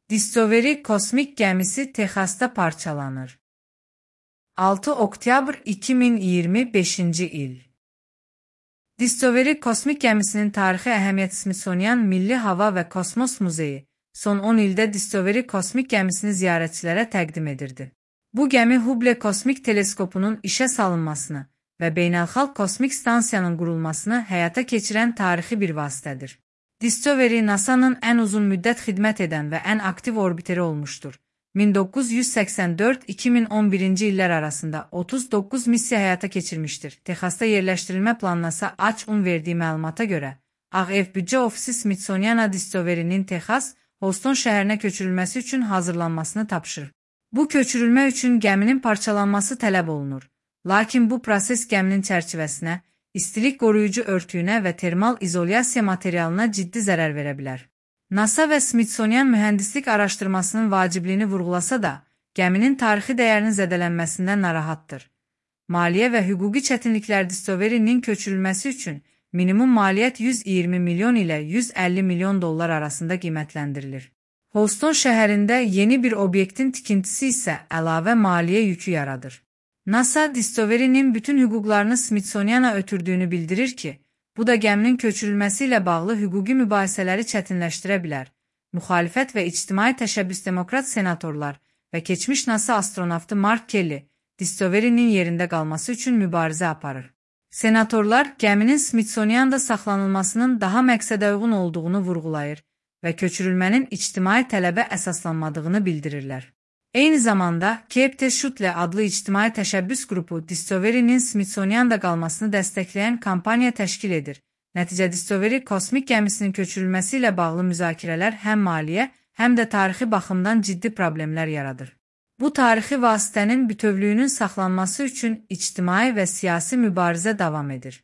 Discovery kosmik gəmisi Texasda parçalanır. 6 oktyabr 2025-ci il. Discovery kosmik gəmisinin tarixi əhəmiyyət Smithsonian Milli Hava və Kosmos Muzeyi son 10 ildə Discovery kosmik gəmisini ziyarətçilərə təqdim edirdi. Bu gəmi Hubble kosmik teleskopunun işə salınmasını və beynəlxalq kosmik stansiyanın qurulmasını həyata keçirən tarixi bir vasitədir. Discovery NASA-nın ən uzun müddət xidmət edən və ən aktiv orbiteri olmuşdur. 1984-2011-ci illər arasında 39 missiya həyata keçirmişdir. Texasda yerləşdirilmə planına AAA-un verdiyi məlumata görə, Ağ Ev Büdcə Ofisi Smithsonian Discovery-nin Texas, Houston şəhərinə köçürülməsi üçün hazırlanmasını tapşırır. Bu köçürülmə üçün gəminin parçalanması tələb olunur. Lakin bu proses gəminin çərçivəsinə, istilik qoruyucu örtüyünə və termal izolyasiya materialına ciddi zərər verə bilər. NASA və Smithsonian mühəndislik araşdırmasının vacibliyini vurğulasa da, gəminin tarixi dəyərinin zədələnməsindən narahatdır. Maliyyə və hüquqi çətinliklər Discovery-nin köçürülməsi üçün minimum maliyyət 120 milyon ilə 150 milyon dollar arasında qiymətləndirilir. Houston şəhərində yeni bir obyektin tikintisi isə əlavə maliyyə yükü yaradır. NASA, Discovery-nin bütün hüquqlarını Smithsoniana ötürdüyünü bildirir ki, bu da gəminin köçürülməsi ilə bağlı hüquqi mübahisələri çətinləşdirə bilər. Müxalifət və ictimai təşəbbüs demokrat senatorlar və keçmiş NASA astronavtı Mark Kelly, Discovery-nin yerində qalması üçün mübarizə aparır. Senatorlar gəminin Smithsonian'da saxlanılmasının daha məqsədəuyğun olduğunu vurğulayır və köçürülmənin ictimai tələbə əsaslanmadığını bildirirlər. Eyni zamanda, Keep the Shuttle adlı ictimai təşəbbüs qrupu Discovery-nin Smithsonian'da qalmasını dəstəkləyən kampaniya təşkil edir. Nəticə Discovery kosmik gəmisinin köçürülməsi ilə bağlı müzakirələr həm maliyyə, həm də tarixi baxımdan ciddi problemlər yaradır. Bu tarixi vasitənin bütövlüyünün saxlanması üçün ictimai və siyasi mübarizə davam edir.